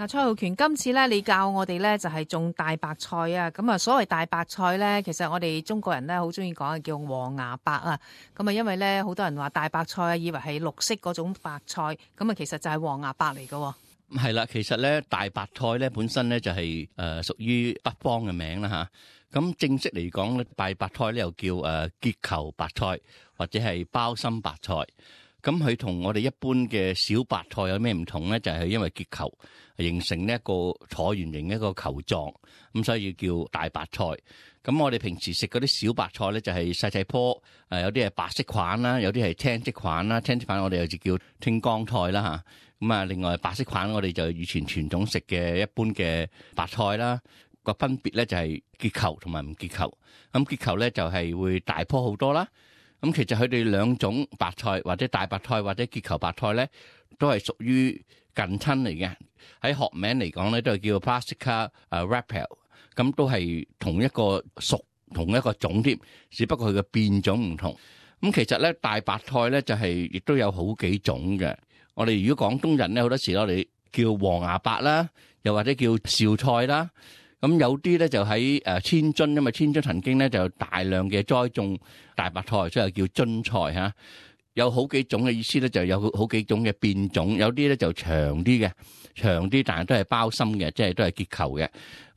嗱，蔡浩權，今次咧你教我哋咧就係種大白菜啊，咁啊所謂大白菜咧，其實我哋中國人咧好中意講嘅叫黃芽白啊，咁啊因為咧好多人話大白菜啊，以為係綠色嗰種白菜，咁啊其實就係黃芽白嚟㗎。係啦，其實咧大白菜咧本身咧就係屬於北方嘅名啦吓，咁正式嚟講咧大白菜咧又叫結球白菜或者係包心白菜。咁佢同我哋一般嘅小白菜有咩唔同咧？就係因為結球形成呢一個橢圓形一個球狀，咁所以叫大白菜。咁我哋平時食嗰啲小白菜咧，就係細細棵，有啲係白色款啦，有啲係青色款啦。青色款我哋又就叫青江菜啦吓。咁啊，另外白色款我哋就以前傳統食嘅一般嘅白菜啦。個分別咧就係結球同埋唔結球。咁結球咧就係會大棵好多啦。咁其實佢哋兩種白菜或者大白菜或者結球白菜咧，都係屬於近親嚟嘅。喺學名嚟講咧，都係叫 Brassica radiata， 咁都係同一個屬同一個種添，只不過佢嘅變種唔同。咁其實咧大白菜咧就係亦都有好幾種嘅。我哋如果廣東人咧，好多時我哋叫黃芽白啦，又或者叫紹菜啦。咁有啲咧就喺千津，因為千津曾經咧就大量嘅栽種大白菜，所以叫津菜嚇。有好幾種嘅意思咧，就有好幾種嘅變種，有啲咧就長啲嘅，長啲但係都係包心嘅，即係都係結球嘅。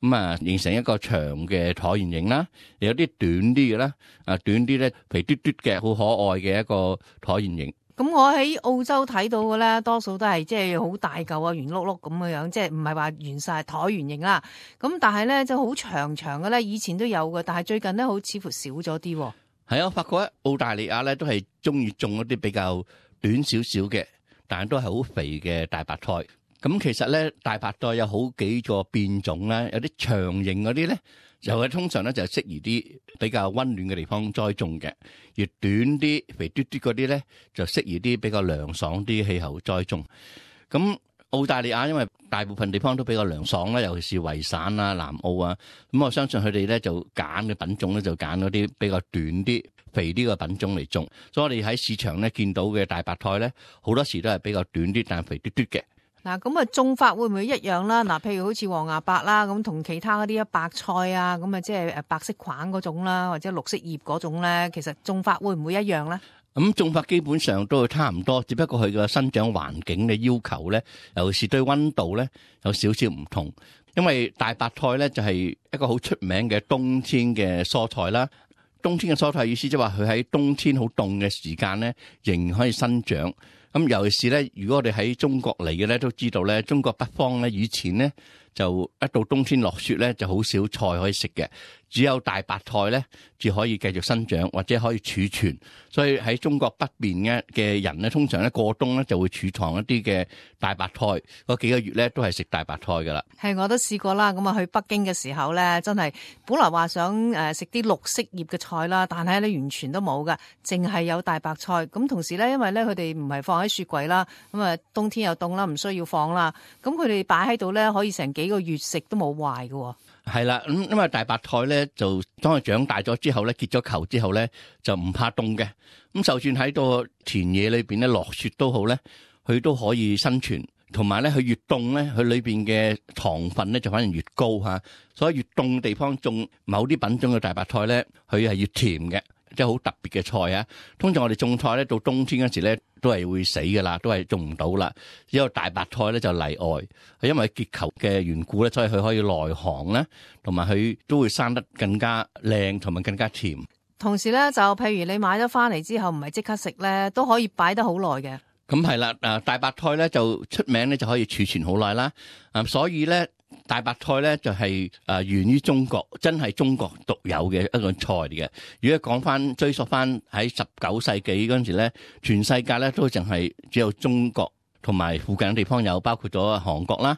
咁啊，形成一個長嘅橢圓形啦。有啲短啲嘅啦，短啲咧肥嘟嘟嘅，好可愛嘅一個橢圓形。咁我喺澳洲睇到嘅咧，多數都係即係好大嚿啊，圓碌碌咁嘅樣，即係唔係話圓晒橢圓形啦。咁但係咧就好長長嘅咧，以前都有嘅，但係最近咧好似乎少咗啲。係啊，我發覺咧澳大利亞咧都係中意種一啲比較短少少嘅，但係都係好肥嘅大白菜。咁其實咧大白菜有好幾個變種啦，有啲長形嗰啲咧，就係通常咧就適宜啲比較溫暖嘅地方栽種嘅，而短啲肥嘟嘟嗰啲咧就適宜啲比較涼爽啲氣候栽種。咁澳大利亞因為大部分地方都比較涼爽啦，尤其是維省啊、南澳啊，咁我相信佢哋咧就揀嘅品種咧就揀嗰啲比較短啲、肥啲嘅品種嚟種。所以我哋喺市場咧見到嘅大白菜咧，好多時都係比較短啲，但係肥嘟嘟嘅。嗱，咁啊種法會唔會一樣啦？嗱，譬如好似黃芽白啦，咁同其他嗰啲白菜啊，咁啊即係白色框嗰種啦，或者綠色葉嗰種咧，其實種法會唔會一樣咧？咁種法基本上都差唔多，只不過佢個生長環境嘅要求咧，尤其是對溫度咧有少少唔同。因為大白菜咧就係一個好出名嘅冬天嘅蔬菜啦。冬天嘅蔬菜意思即係話佢喺冬天好凍嘅時間咧，仍然可以生長。咁尤其是咧，如果我哋喺中國嚟嘅咧，都知道咧，中國北方咧以前咧就一到冬天落雪咧，就好少菜可以食嘅，只有大白菜咧至可以繼續生長或者可以儲存。所以喺中國北邊嘅人咧，通常咧過冬咧就會儲藏一啲嘅大白菜，嗰幾個月咧都係食大白菜噶啦。係，我都試過啦。咁啊去北京嘅時候咧，真係本來話想食啲綠色葉嘅菜啦，但係咧完全都冇噶，淨係有大白菜。咁同時咧，因為咧佢哋唔係放喺雪櫃啦，咁啊冬天又凍啦，唔需要放啦。咁佢哋擺喺度咧，可以成幾個月食都冇壞㗎。係啦，咁因為大白菜咧就當佢長大咗之後咧，結咗球之後咧就唔怕凍嘅。咁就算喺個田野裏邊咧落雪都好咧，佢都可以生存。同埋咧，佢越凍咧，佢裏邊嘅糖分咧就反而越高吓。所以越凍地方種某啲品種嘅大白菜咧，佢係越甜嘅。即係好特別嘅菜啊！通常我哋種菜咧，到冬天嗰時咧，都係會死噶啦，都係種唔到啦。只有大白菜咧就例外，係因為結球嘅緣故咧，所以佢可以耐寒咧，同埋佢都會生得更加靚，同埋更加甜。同時咧，就譬如你買咗翻嚟之後，唔係即刻食咧，都可以擺得好耐嘅。咁係啦，大白菜咧就出名咧就可以儲存好耐啦。所以咧。大白菜咧就係源於中國，真係中國獨有嘅一個菜嚟嘅。如果講翻追溯翻喺19世紀嗰陣時咧，全世界咧都淨係只有中國同埋附近嘅地方有，包括咗韓國啦。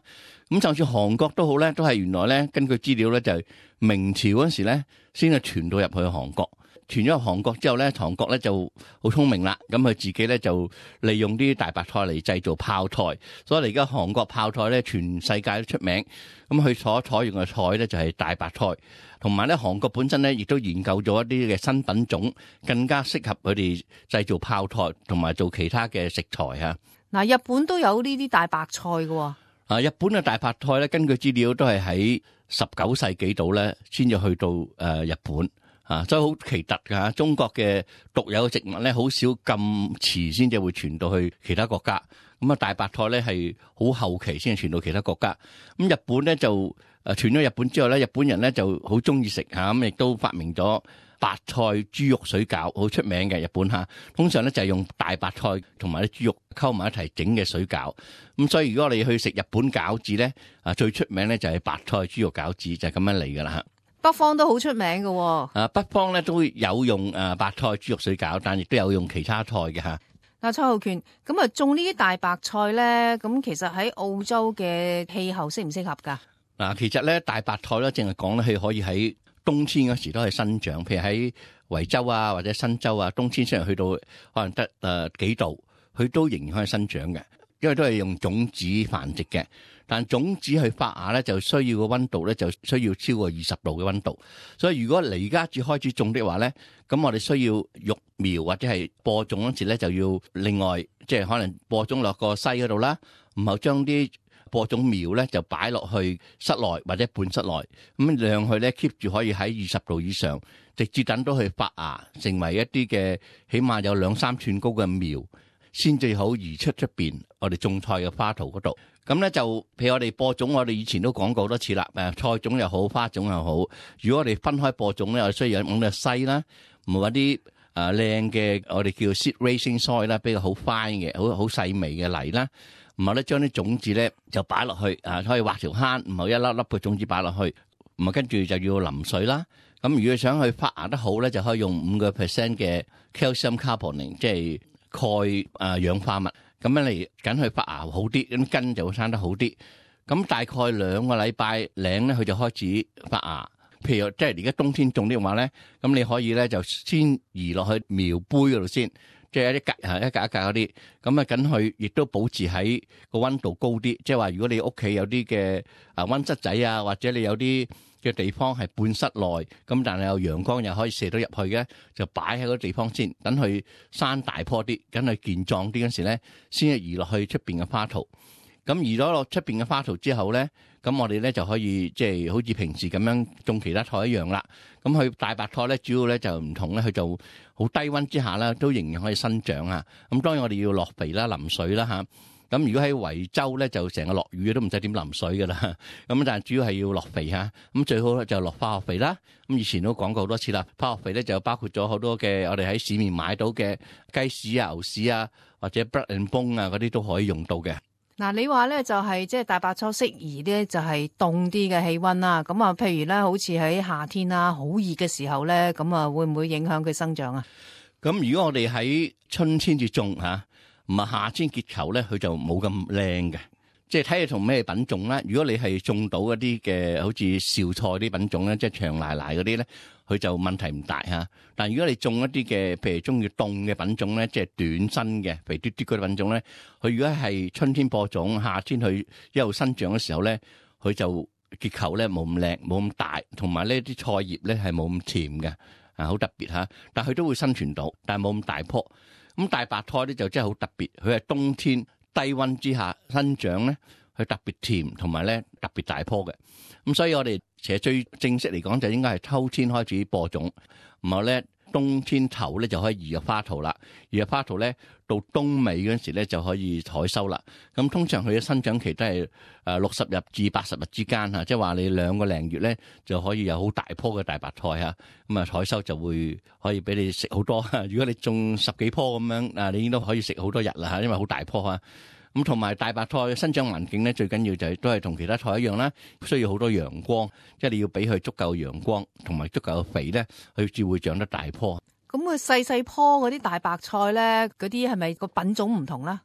咁就算韓國都好咧，都係原來咧根據資料咧就係明朝嗰陣時咧先係傳到入去韓國。傳咗入韓國之後咧，韓國咧就好聰明啦，咁佢自己咧就利用啲大白菜嚟製造泡菜，所以而家韓國泡菜咧全世界都出名。咁佢所採用嘅菜咧就係大白菜，同埋咧韓國本身咧亦都研究咗一啲嘅新品種，更加適合佢哋製造泡菜同埋做其他嘅食材嚇。嗱，日本都有呢啲大白菜㗎喎。日本嘅大白菜咧，根據資料都係喺19世紀度咧，先至去到日本所以好奇特㗎。中國嘅獨有嘅植物咧，好少咁遲先至會傳到去其他國家。咁大白菜咧係好後期先至傳到其他國家。咁日本咧就傳咗日本之後咧，日本人咧就好中意食咁亦都發明咗白菜豬肉水餃，好出名嘅日本通常咧就係用大白菜同埋啲豬肉溝埋一齊整嘅水餃。咁所以如果你去食日本餃子咧，最出名咧就係白菜豬肉餃子，就係咁樣嚟噶啦。北方都好出名嘅。北方咧都有用白菜豬肉水餃，但亦都有用其他菜嘅嗱，蔡浩權，咁種呢啲大白菜咧，咁其實喺澳洲嘅氣候適唔適合噶？其實咧大白菜咧，淨係講咧，佢可以喺冬天嗰時都係生長，譬如喺維州或者新州冬天雖然去到可能得幾度，佢都仍然可以生長嘅，因為都係用種子繁殖嘅。但種子去發芽咧，就需要個溫度咧，就需要超過20度嘅溫度。所以如果你而家至開始種的話咧，咁我哋需要育苗或者係播種嗰時咧，就要另外即係可能播種落個篩嗰度啦，然後將啲播種苗咧就擺落去室內或者半室內，咁讓佢咧 keep 住可以喺20度以上，直至等到佢發芽成為一啲嘅起碼有2-3寸高嘅苗，先至好移出邊我哋種菜嘅花槽嗰度。咁咧就譬如我哋播種，我哋以前都講過好多次啦。菜種又好，花種又好，如果我哋分開播種咧，我需要揾個篩啦，唔係揾啲靚嘅我哋叫 seed raising soil 啦，比較好 fine 嘅好細微嘅泥啦。然後咧將啲種子咧就擺落去可以畫條坑，然後一粒粒嘅種子擺落去，然後跟住就要淋水啦。咁如果想去發芽得好咧，就可以用5% 嘅 calcium carbonate， 即係鈣氧化物。咁樣嚟緊去發芽好啲，咁根就會生得好啲。咁大概2個禮拜零咧，佢就開始發芽。譬如即係而家冬天種的話咧，咁你可以咧就先移落去苗杯嗰度先，即係一格一格嗰啲。咁緊佢亦都保持喺個溫度高啲。即係話如果你屋企有啲嘅溫室仔或者你有啲嘅地方係半室內，咁但係有陽光又可以射到入去嘅，就擺喺嗰個地方先，等佢生大棵啲，等佢健壯啲嗰時咧，先至移落去出邊嘅花槽。咁移咗落出邊嘅花槽之後咧，咁我哋咧就可以即係好似平時咁樣種其他菜一樣啦。咁佢大白菜咧，主要咧就唔同咧，佢就好低溫之下啦，都仍然可以生長啊。咁當然我哋要落肥啦、淋水啦嚇。咁如果喺維州咧，就成個落雨都唔使點淋水噶啦。咁但係主要係要落肥嚇。咁最好就落化學肥啦。咁以前都講過好多次啦，化學肥咧就包括咗好多嘅我哋喺市面買到嘅雞屎牛屎或者 blood and bone 嗰啲都可以用到嘅。嗱，你話咧就係即係大白菜適宜咧就係凍啲嘅氣溫啦。咁譬如咧好似喺夏天好熱嘅時候咧，咁會唔會影響佢生長啊？咁如果我哋喺春天至種唔係夏天結球咧，佢就冇咁靚嘅。即係睇你同咩品種啦。如果你係種到一啲嘅好似紹菜啲品種咧，即係長奶奶嗰啲咧，佢就問題唔大嚇。但如果你種一啲嘅譬如中意凍嘅品種咧，即係短身嘅肥嘟嘟嗰啲品種咧，佢如果係春天播種，夏天佢一路生長嘅時候咧，佢就結球咧冇咁靚，冇咁大，同埋呢啲菜葉咧係冇咁甜嘅好特別嚇。但佢都會生存到，但係冇咁大棵。咁大白菜咧就真係好特別，佢係冬天低溫之下生長咧，佢特別甜，同埋咧特別大棵嘅。咁所以我哋其實最正式嚟講就應該係秋天開始播種，然後咧冬天頭咧就可以移入花槽啦。移入花槽咧到冬尾嗰陣時咧就可以採收啦。咁通常佢嘅生長期都係60日至80日之間即係話你2個零月咧就可以有好大棵嘅大白菜咁採收就會可以俾你食好多。如果你種10幾棵咁樣你應該可以食好多日啦因為好大棵咁同埋大白菜嘅生長環境咧，最緊要就係都係同其他菜一樣啦，需要好多陽光，即係你要俾佢足夠陽光同埋足夠嘅肥咧，佢至會長得大棵。咁佢細細棵嗰啲大白菜咧，嗰啲係咪個品種唔同啦？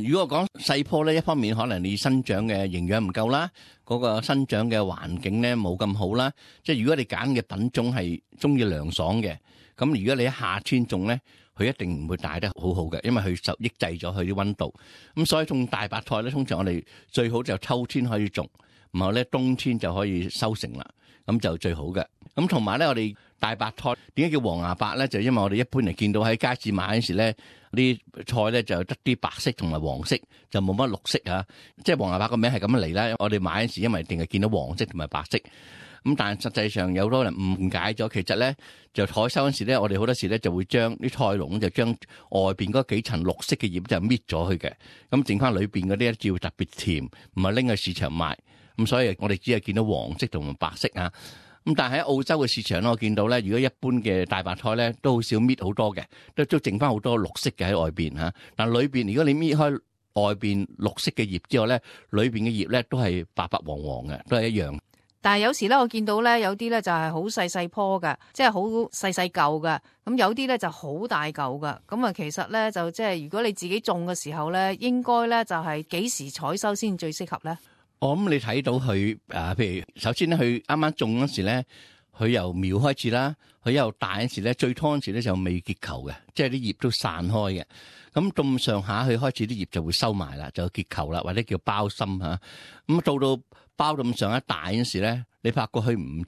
如果講細棵咧，一方面可能你生長嘅營養唔夠啦，嗰個生長嘅環境咧冇咁好啦。即係如果你揀嘅品種係中意涼爽嘅，咁如果你喺夏天種咧，佢一定唔會大得好好嘅，因為佢受抑制咗佢啲溫度。咁所以種大白菜咧，通常我哋最好就秋天可以種，然後咧冬天就可以收成啦，咁就最好嘅。咁同埋咧，我哋大白菜點解叫黃牙白咧？就因為我哋一般嚟見到喺街市買嗰時咧，啲菜咧就得啲白色同埋黃色，就冇乜綠色啊。即係黃牙白個名係咁樣嚟啦。我哋買嗰時因為淨係見到黃色同埋白色，咁但係實際上有好多人誤解咗，其實咧就採收嗰時咧，我哋好多時咧就會將啲菜農就將外邊嗰幾層綠色嘅葉就搣咗去嘅，咁剩翻裏邊嗰啲咧照特別甜，唔係拎去市場賣。咁所以我哋只係見到黃色同埋白色啊。咁但係喺澳洲嘅市場咧，我見到咧，如果一般嘅大白菜咧，都好少搣好多嘅，都剩翻好多綠色嘅喺外邊嚇。但係裏邊如果你搣開外邊綠色嘅葉之後咧，裏邊嘅葉咧都係白白黃黃嘅，都係一樣。但係有時咧，我見到咧有啲咧就係好細細棵嘅，即係好細細嚿嘅。咁有啲咧就好大嚿嘅。咁啊，其實咧就即係如果你自己種嘅時候咧，應該咧就係幾時採收先最適合咧？我諗你睇到佢譬如首先咧，佢啱啱種嗰時咧，佢由苗開始啦，佢由大嗰時咧，最初嗰時咧就未結球嘅，即係啲葉都散開嘅。咁咁上下佢開始啲葉就會收埋啦，就結球啦，或者叫包心嚇。咁到包到咁上一大嗰時咧，你發覺佢唔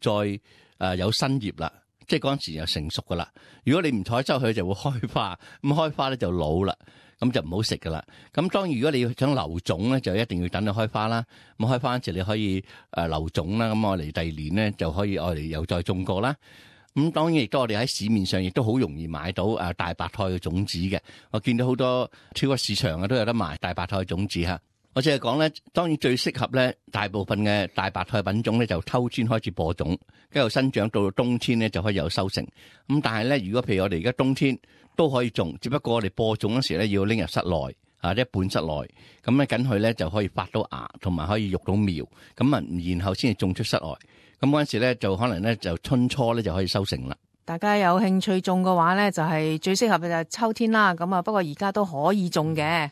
再有新葉啦，即係嗰陣時就成熟噶啦。如果你唔採收佢，就會開花，咁開花咧就老啦。咁就唔好食噶啦。咁當然如果你想留種咧，就一定要等佢開花啦。咁開花嗰時你可以留種啦。咁我哋第二年咧就可以我哋又再種過啦。咁當然亦都我哋喺市面上亦都好容易買到大白菜嘅種子嘅。我見到好多超級市場啊都有得賣大白菜嘅種子嚇。我淨係講咧，當然最適合咧，大部分嘅大白菜品種咧就秋天開始播種，跟住生長到冬天咧就可以有收成。咁但係咧，如果譬如我哋而家冬天都可以種，只不過我哋播種嗰時咧要拎入室內一半室內，咁咧緊佢咧就可以發到芽，同埋可以育到苗，咁啊然後先至種出室外。咁嗰陣時咧就可能咧就春初咧就可以收成啦。大家有興趣種嘅話咧，就係最適合嘅就係秋天啦。咁啊，不過而家都可以種嘅。